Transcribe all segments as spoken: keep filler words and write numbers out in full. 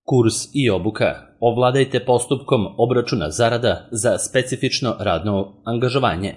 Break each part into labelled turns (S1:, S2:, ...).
S1: Kurs i obuka. Ovladajte postupkom obračuna zarada za specifično radno angažovanje.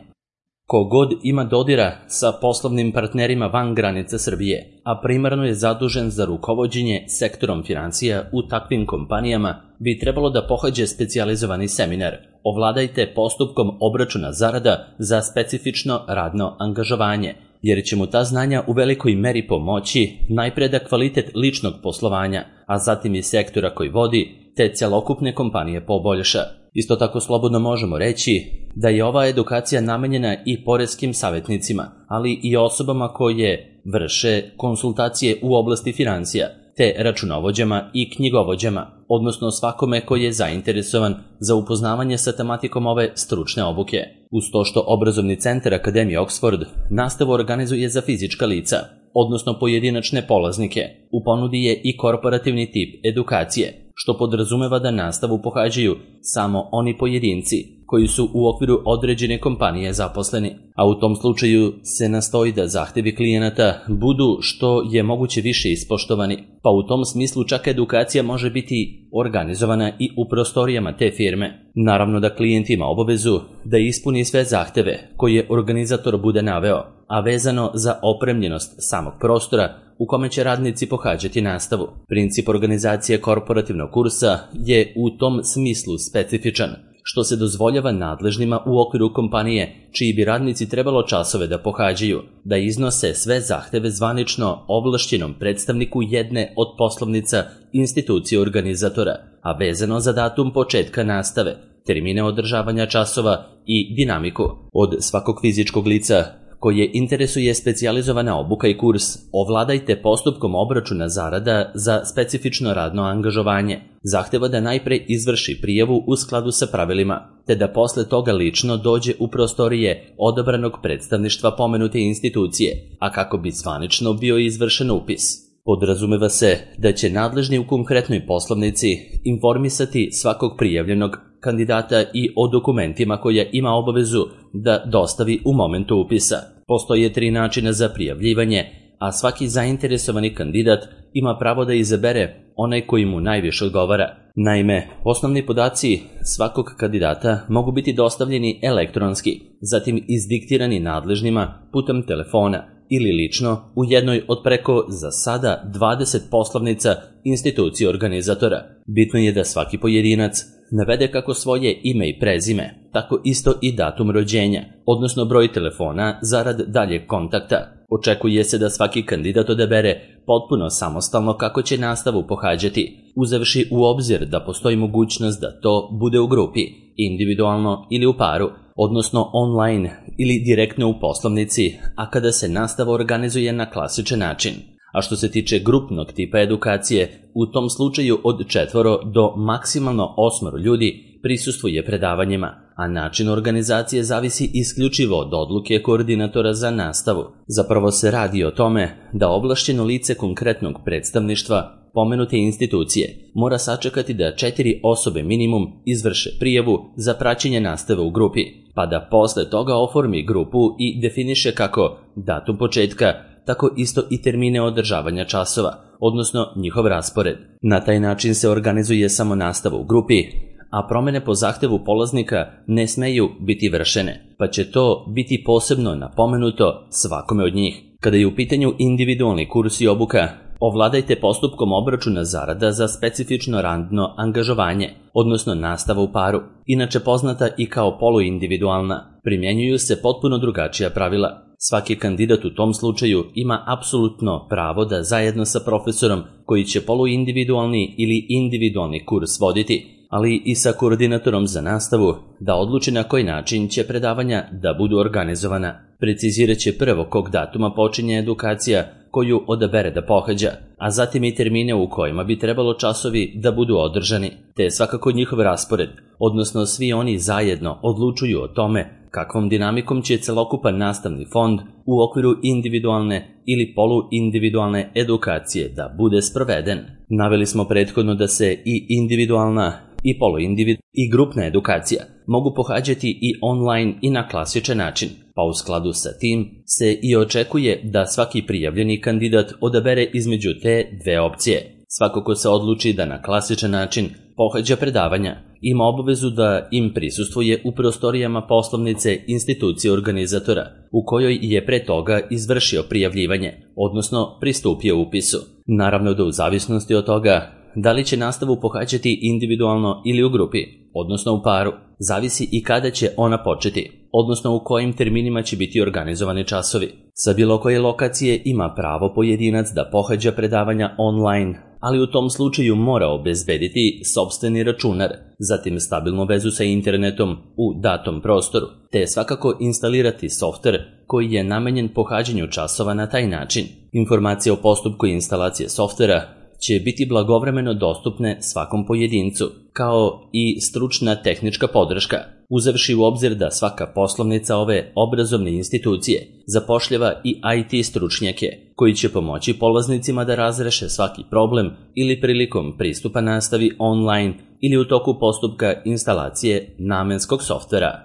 S1: Ko god ima dodira sa poslovnim partnerima van granica Srbije, a primarno je zadužen za rukovođenje sektorom financija u takvim kompanijama, bi trebalo da pohađe specijalizovani seminar Ovladajte postupkom obračuna zarada za specifično radno angažovanje, jer će mu ta znanja u velikoj meri pomoći najpre da kvalitet ličnog poslovanja, a zatim i sektora koji vodi, te celokupne kompanije poboljša. Isto tako slobodno možemo reći da je ova edukacija namenjena i poreskim savjetnicima, ali i osobama koje vrše konsultacije u oblasti financija, te računovođama i knjigovođama, odnosno svakome koji je zainteresovan za upoznavanje sa tematikom ove stručne obuke. Uz to što obrazovni centar Akademije Oxford nastavu organizuje za fizička lica, odnosno pojedinačne polaznike, u ponudi je i korporativni tip edukacije, što podrazumeva da nastavu pohađaju samo oni pojedinci koji su u okviru određene kompanije zaposleni, a u tom slučaju se nastoji da zahtevi klijenata budu što je moguće više ispoštovani, pa u tom smislu čak edukacija može biti organizovana i u prostorijama te firme. Naravno da klijent ima obavezu da ispuni sve zahteve koje organizator bude naveo, a vezano za opremljenost samog prostora u kome će radnici pohađati nastavu. Princip organizacije korporativnog kursa je u tom smislu specifičan, što se dozvoljava nadležnima u okviru kompanije čiji bi radnici trebalo časove da pohađaju, da iznose sve zahteve zvanično ovlašćenom predstavniku jedne od poslovnica institucije organizatora, a vezano za datum početka nastave, termine održavanja časova i dinamiku. Od svakog fizičkog lica koje interesuje specijalizovana obuka i kurs Ovladajte postupkom obračuna zarada za specifično radno angažovanje, zahteva da najpre izvrši prijavu u skladu sa pravilima, te da posle toga lično dođe u prostorije odabranog predstavništva pomenute institucije, a kako bi zvanično bio izvršen upis. Podrazumeva se da će nadležni u konkretnoj poslovnici informisati svakog prijavljenog kandidata i o dokumentima koje ima obavezu da dostavi u momentu upisa. Postoje tri načina za prijavljivanje, a svaki zainteresovani kandidat ima pravo da izabere onaj koji mu najviše odgovara. Naime, osnovni podaci svakog kandidata mogu biti dostavljeni elektronski, zatim izdiktirani nadležnima putem telefona ili lično u jednoj od preko za sada dvadeset poslovnica institucije organizatora. Bitno je da svaki pojedinac navede kako svoje ime i prezime, tako isto i datum rođenja, odnosno broj telefona zarad daljeg kontakta. Očekuje se da svaki kandidat odabere potpuno samostalno kako će nastavu pohađati, uzevši u obzir da postoji mogućnost da to bude u grupi, individualno ili u paru, odnosno online ili direktno u poslovnici, a kada se nastava organizuje na klasičan način. A što se tiče grupnog tipa edukacije, u tom slučaju od četvoro do maksimalno osmoro ljudi prisustvuje predavanjima, a način organizacije zavisi isključivo od odluke koordinatora za nastavu. Zapravo se radi o tome da ovlašćeno lice konkretnog predstavništva pomenute institucije mora sačekati da četiri osobe minimum izvrše prijavu za praćenje nastave u grupi, pa da posle toga oformi grupu i definiše kako datum početka, tako isto i termine održavanja časova, odnosno njihov raspored. Na taj način se organizuje samo nastava u grupi, a promene po zahtevu polaznika ne smeju biti vršene, pa će to biti posebno napomenuto svakome od njih. Kada je u pitanju individualni kurs i obuka, ovladajte postupkom obračuna zarada za specifično radno angažovanje, odnosno nastava u paru, inače poznata i kao poluindividualna, primjenjuju se potpuno drugačija pravila. Svaki kandidat u tom slučaju ima apsolutno pravo da zajedno sa profesorom koji će poluindividualni ili individualni kurs voditi, ali i sa koordinatorom za nastavu, da odluči na koji način će predavanja da budu organizovana. Precizirat će prvo kog datuma počinje edukacija koju odabere da pohađa, a zatim i termine u kojima bi trebalo časovi da budu održani, te svakako njihov raspored, odnosno svi oni zajedno odlučuju o tome kakvom dinamikom će celokupan nastavni fond u okviru individualne ili poluindividualne edukacije da bude sproveden. Naveli smo prethodno da se i individualna i poluindividualna i grupna edukacija mogu pohađati i online i na klasičan način, pa u skladu sa tim se i očekuje da svaki prijavljeni kandidat odabere između te dve opcije. Svako ko se odluči da na klasičan način pohađa predavanja, ima obavezu da im prisustvuje u prostorijama poslovnice institucije organizatora, u kojoj je pre toga izvršio prijavljivanje, odnosno pristupio upisu. Naravno da u zavisnosti od toga da li će nastavu pohađati individualno ili u grupi, odnosno u paru, zavisi i kada će ona početi, odnosno u kojim terminima će biti organizovani časovi. Sa bilo koje lokacije ima pravo pojedinac da pohađa predavanja online, ali u tom slučaju mora obezbediti sopstveni računar, zatim stabilnu vezu sa internetom u datom prostoru, te svakako instalirati softver koji je namenjen pohađanju časova na taj način. Informacije o postupku instalacije softvera će biti blagovremeno dostupne svakom pojedincu, kao i stručna tehnička podrška, uzevši u obzir da svaka poslovnica ove obrazovne institucije zapošljava i I T stručnjake, koji će pomoći polaznicima da razreše svaki problem ili prilikom pristupa nastavi online ili u toku postupka instalacije namenskog softvera.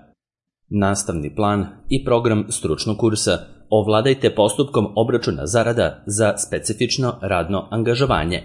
S1: Nastavni plan i program stručnog kursa ovladajte postupkom obračuna zarada za specifično radno angažovanje.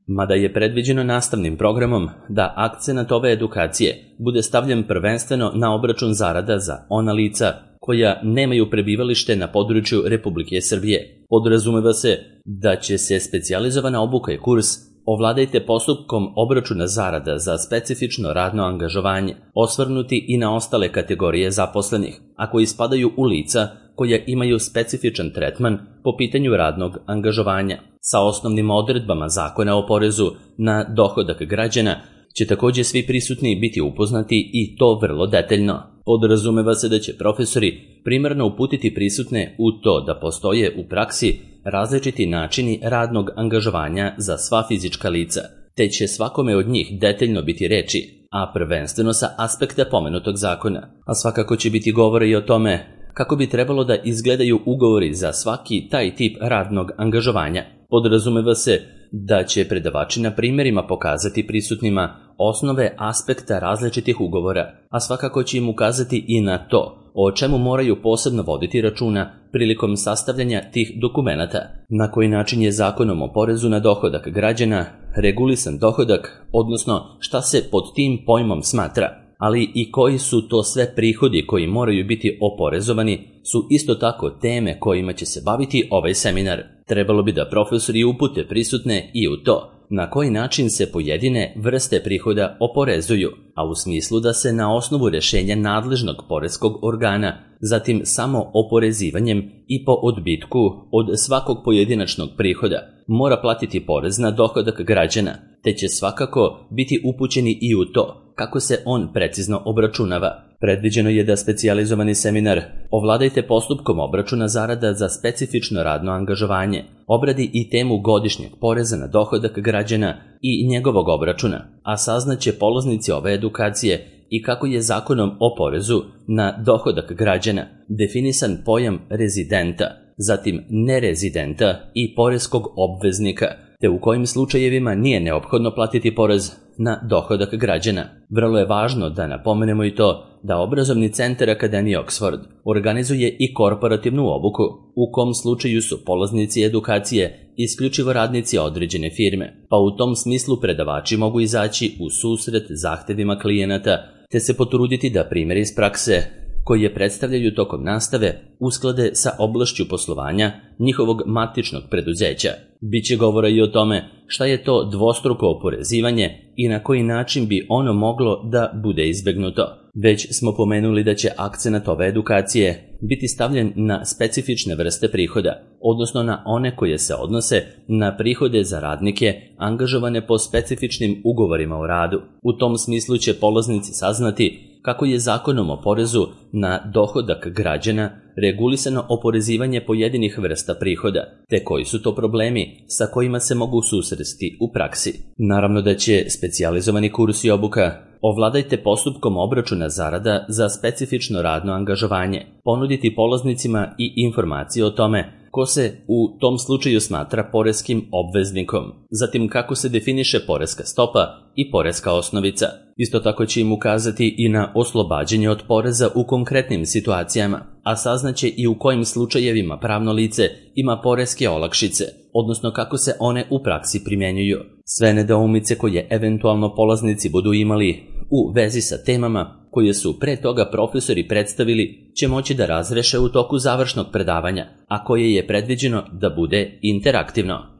S1: Mada je predviđeno nastavnim programom da akcenat ove edukacije bude stavljen prvenstveno na obračun zarada za ona lica koja nemaju prebivalište na području Republike Srbije, podrazumeva se da će se specijalizovana obuka i kurs ovladajte postupkom obračuna zarada za specifično radno angažovanje osvrnuti i na ostale kategorije zaposlenih, a koji spadaju u lica koja imaju specifičan tretman po pitanju radnog angažovanja. Sa osnovnim odredbama Zakona o porezu na dohodak građana će takođe svi prisutni biti upoznati i to vrlo detaljno. Podrazumeva se da će profesori primarno uputiti prisutne u to da postoje u praksi različiti načini radnog angažovanja za sva fizička lica, te će svakome od njih detaljno biti reči, a prvenstveno sa aspekta pomenutog zakona. A svakako će biti govora i o tome kako bi trebalo da izgledaju ugovori za svaki taj tip radnog angažovanja. Podrazumeva se da će predavači na primjerima pokazati prisutnima osnove aspekta različitih ugovora, a svakako će im ukazati i na to o čemu moraju posebno voditi računa prilikom sastavljanja tih dokumenata, na koji način je Zakonom o porezu na dohodak građana regulisan dohodak, odnosno šta se pod tim pojmom smatra, ali i koji su to sve prihodi koji moraju biti oporezovani, su isto tako teme kojima će se baviti ovaj seminar. Trebalo bi da profesori upute prisutne i u to na koji način se pojedine vrste prihoda oporezuju, a u smislu da se na osnovu rešenja nadležnog poreskog organa, zatim samo oporezivanjem i po odbitku od svakog pojedinačnog prihoda mora platiti porez na dohodak građana, te će svakako biti upućeni i u to kako se on precizno obračunava. Predviđeno je da specijalizovani seminar ovladajte postupkom obračuna zarada za specifično radno angažovanje obradi i temu godišnjeg poreza na dohodak građana i njegovog obračuna, a saznaće polaznici ove edukacije i kako je Zakonom o porezu na dohodak građana definisan pojam rezidenta, zatim nerezidenta i poreskog obveznika, te u kojim slučajevima nije neophodno platiti porez na dohodak građana. Vrlo je važno da napomenemo i to da obrazovni centar Akademije Oxford organizuje i korporativnu obuku, u kom slučaju su polaznici edukacije isključivo radnici određene firme, pa u tom smislu predavači mogu izaći u susret zahtevima klijenata, te se potruditi da primjeri iz prakse koje predstavljaju tokom nastave usklade sa oblašću poslovanja njihovog matičnog preduzeća. Biće govora i o tome šta je to dvostruko oporezivanje i na koji način bi ono moglo da bude izbegnuto. Već smo pomenuli da će akcenat ove edukacije biti stavljen na specifične vrste prihoda, odnosno na one koje se odnose na prihode za radnike angažovane po specifičnim ugovorima o radu. U tom smislu će polaznici saznati kako je Zakonom o porezu na dohodak građana regulisano oporezivanje pojedinih vrsta prihoda, te koji su to problemi sa kojima se mogu susresti u praksi. Naravno da će specijalizovani kurs i obuka ovladajte postupkom obračuna zarada za specifično radno angažovanje ponuditi polaznicima i informacije o tome ko se u tom slučaju smatra poreskim obveznikom, zatim kako se definiše poreska stopa i poreska osnovica. Isto tako će im ukazati i na oslobađanje od poreza u konkretnim situacijama, a saznaće i u kojim slučajevima pravno lice ima poreske olakšice, odnosno kako se one u praksi primjenjuju. Sve nedoumice koje eventualno polaznici budu imali u vezi sa temama koje su pre toga profesori predstavili će moći da razreše u toku završnog predavanja, a koje je predviđeno da bude interaktivno.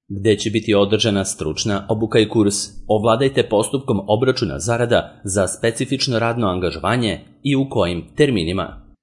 S1: Gde će biti održana stručna obuka i kurs Ovladajte postupkom obračuna zarada za specifično radno angažovanje i u kojim terminima.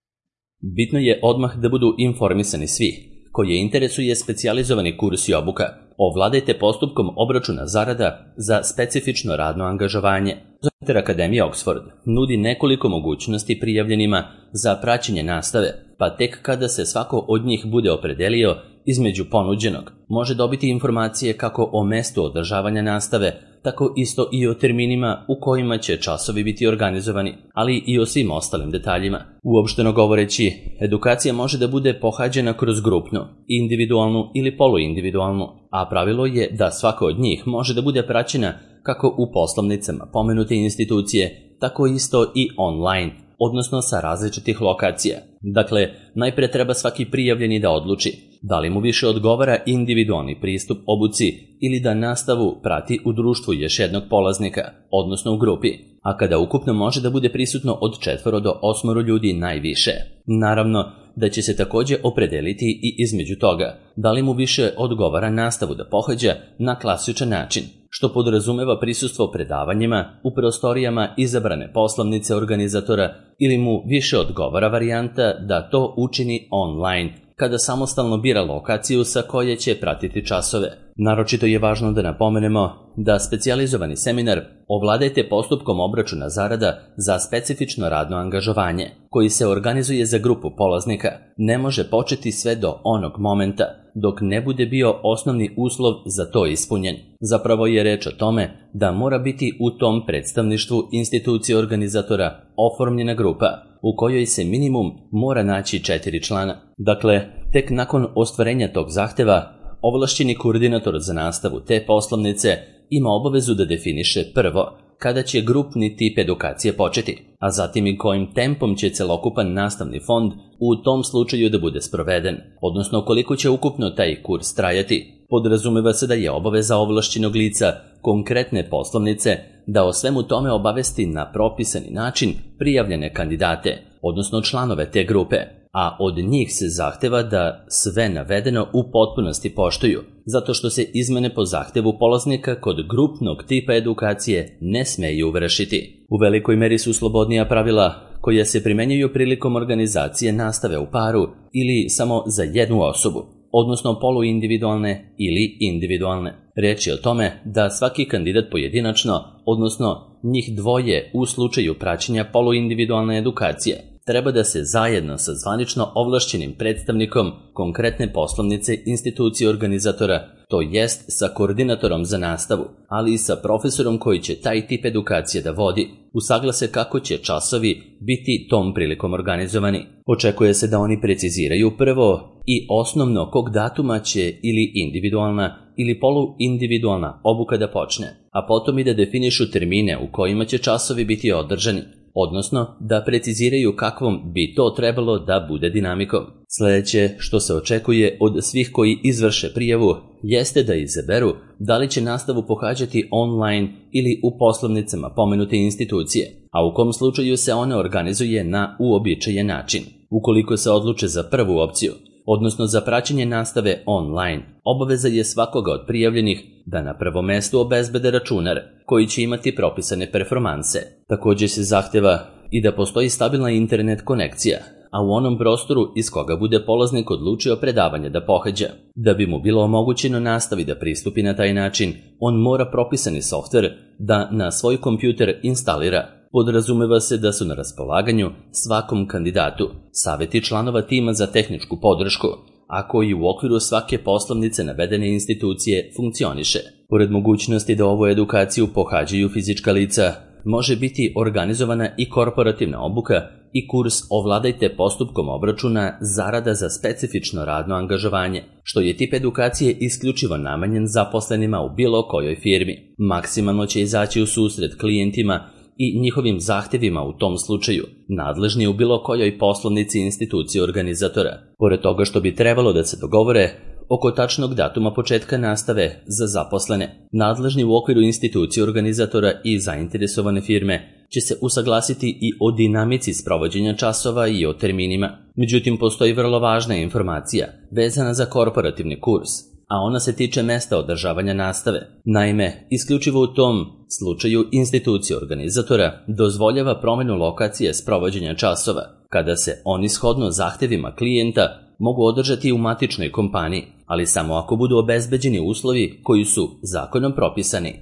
S1: Bitno je odmah da budu informisani svi koje interesuje specijalizovani kurs i obuka Ovladajte postupkom obračuna zarada za specifično radno angažovanje. Software Akademija Oxford nudi nekoliko mogućnosti prijavljenima za praćenje nastave, pa tek kada se svako od njih bude opredelio između ponuđenog, može dobiti informacije kako o mestu održavanja nastave, tako isto i o terminima u kojima će časovi biti organizovani, ali i o svim ostalim detaljima. Uopšteno govoreći, edukacija može da bude pohađena kroz grupnu, individualnu ili poluindividualnu, a pravilo je da svaka od njih može da bude praćena kako u poslovnicama pomenute institucije, tako isto i online, odnosno sa različitih lokacija. Dakle, najpre treba svaki prijavljeni da odluči da li mu više odgovara individualni pristup obuci ili da nastavu prati u društvu još jednog polaznika, odnosno u grupi, a kada ukupno može da bude prisutno od četvoro do osmoro ljudi najviše. Naravno da će se takođe opredeliti i između toga da li mu više odgovara nastavu da pohađa na klasičan način, što podrazumeva prisustvo predavanjima u prostorijama izabrane poslovnice organizatora, ili mu više odgovara varijanta da to učini online, kada samostalno bira lokaciju sa koje će pratiti časove. Naročito je važno da napomenemo da specijalizovani seminar Ovladajte postupkom obračuna zarada za specifično radno angažovanje, koji se organizuje za grupu polaznika, ne može početi sve do onog momenta dok ne bude bio osnovni uslov za to ispunjen. Zapravo je reč o tome da mora biti u tom predstavništvu institucije organizatora oformljena grupa, u kojoj se minimum mora naći četiri člana. Dakle, tek nakon ostvarenja tog zahteva, ovlašćeni koordinator za nastavu te poslovnice ima obavezu da definiše prvo kada će grupni tip edukacije početi, a zatim i kojim tempom će celokupan nastavni fond u tom slučaju da bude sproveden, odnosno koliko će ukupno taj kurs trajati. Podrazumeva se da je obaveza ovlašćenog lica konkretne poslovnice da o svemu tome obavesti na propisani način prijavljene kandidate, odnosno članove te grupe, a od njih se zahteva da sve navedeno u potpunosti poštuju, zato što se izmene po zahtevu polaznika kod grupnog tipa edukacije ne smeju vršiti. U velikoj meri su slobodnija pravila koja se primenjuju prilikom organizacije nastave u paru ili samo za jednu osobu, odnosno poluindividualne ili individualne. Reč je o tome da svaki kandidat pojedinačno, odnosno njih dvoje u slučaju praćenja poluindividualne edukacije, treba da se zajedno sa zvanično ovlašćenim predstavnikom konkretne poslovnice institucije organizatora, to jest sa koordinatorom za nastavu, ali i sa profesorom koji će taj tip edukacije da vodi, usaglase kako će časovi biti tom prilikom organizovani. Očekuje se da oni preciziraju prvo i osnovno kog datuma će ili individualna ili poluindividualna obuka da počne, a potom i da definišu termine u kojima će časovi biti održani, odnosno da preciziraju kakvom bi to trebalo da bude dinamikom. Sledeće što se očekuje od svih koji izvrše prijavu jeste da izaberu da li će nastavu pohađati online ili u poslovnicama pomenute institucije, a u kom slučaju se ona organizuje na uobičajen način. Ukoliko se odluče za prvu opciju, odnosno za praćenje nastave online, obaveza je svakoga od prijavljenih da na prvom mestu obezbede računar koji će imati propisane performanse. Također se zahteva i da postoji stabilna internet konekcija, a u onom prostoru iz koga bude polaznik odlučio predavanje da pohađa. Da bi mu bilo omogućeno nastavi da pristupi na taj način, on mora propisani softver da na svoj kompjuter instalira. Podrazumeva se da su na raspolaganju svakom kandidatu saveti članova tima za tehničku podršku, a koji u okviru svake poslovnice navedene institucije funkcioniše. Pored mogućnosti da ovu edukaciju pohađaju fizička lica, može biti organizovana i korporativna obuka i kurs Ovladajte postupkom obračuna zarada za specifično radno angažovanje, što je tip edukacije isključivo namenjen zaposlenima u bilo kojoj firmi. Maksimalno će izaći u susret klijentima i njihovim zahtjevima u tom slučaju, nadležni u bilo kojoj poslovnici institucije organizatora. Pored toga što bi trebalo da se dogovore oko tačnog datuma početka nastave za zaposlene, nadležni u okviru institucije organizatora i zainteresovane firme će se usaglasiti i o dinamici sprovođenja časova i o terminima. Međutim, postoji vrlo važna informacija vezana za korporativni kurs, a ona se tiče mesta održavanja nastave. Naime, isključivo u tom slučaju institucija organizatora dozvoljava promjenu lokacije sprovođenja časova, kada se oni shodno zahtjevima klijenta mogu održati u matičnoj kompaniji, ali samo ako budu obezbeđeni uslovi koji su zakonom propisani.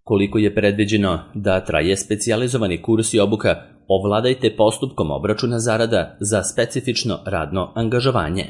S1: Koliko je predviđeno da traje specijalizovani kurs i obuka Ovladajte postupkom obračuna zarada za specifično radno angažovanje?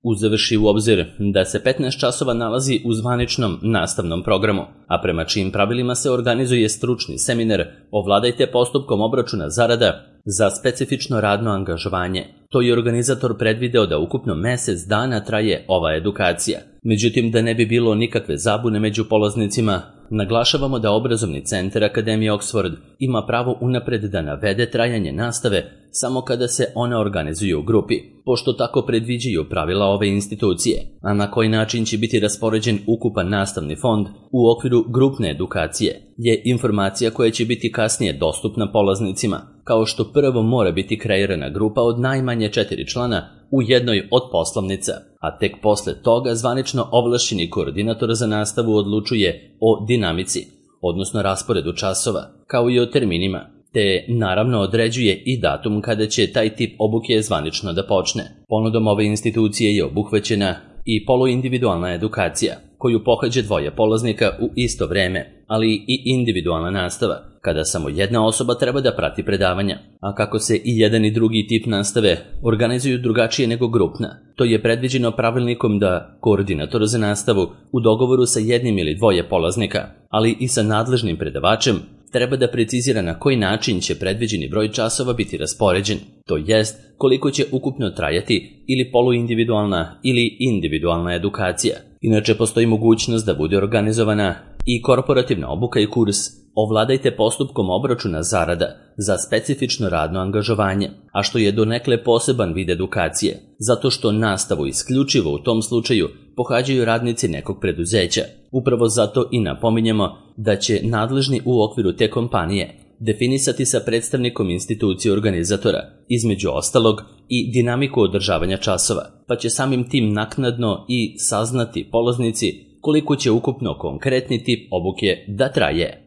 S1: Uzevši u obzir da se petnaest časova nalazi u zvaničnom nastavnom programu, a prema čijim pravilima se organizuje stručni seminar Ovladajte postupkom obračuna zarada za specifično radno angažovanje, to je organizator predvideo da ukupno mesec dana traje ova edukacija. Međutim, da ne bi bilo nikakve zabune među polaznicima, naglašavamo da obrazovni centar Akademije Oxford ima pravo unapred da navede trajanje nastave samo kada se one organizuju u grupi, pošto tako predviđaju pravila ove institucije, a na koji način će biti raspoređen ukupan nastavni fond u okviru grupne edukacije je informacija koja će biti kasnije dostupna polaznicima, kao što prvo mora biti kreirana grupa od najmanje četiri člana u jednoj od poslovnica, a tek posle toga zvanično ovlašćeni koordinator za nastavu odlučuje o dinamici, odnosno rasporedu časova, kao i o terminima, te naravno određuje i datum kada će taj tip obuke zvanično da počne. Ponudom ove institucije je obuhvaćena i poluindividualna edukacija, koju pohađa dvoje polaznika u isto vreme, ali i individualna nastava, kada samo jedna osoba treba da prati predavanja. A kako se i jedan i drugi tip nastave organizuju drugačije nego grupna, to je predviđeno pravilnikom da koordinator za nastavu u dogovoru sa jednim ili dvoje polaznika, ali i sa nadležnim predavačem, treba da precizira na koji način će predviđeni broj časova biti raspoređen, to jest koliko će ukupno trajati ili poluindividualna ili individualna edukacija. Inače, postoji mogućnost da bude organizovana i korporativna obuka i kurs Ovladajte postupkom obračuna zarada za specifično radno angažovanje, a što je donekle poseban vid edukacije, zato što nastavu isključivo u tom slučaju pohađaju radnici nekog preduzeća. Upravo zato i napominjemo da će nadležni u okviru te kompanije definisati sa predstavnikom institucije organizatora, između ostalog i dinamiku održavanja časova, pa će samim tim naknadno i saznati polaznici koliko će ukupno konkretni tip obuke da traje.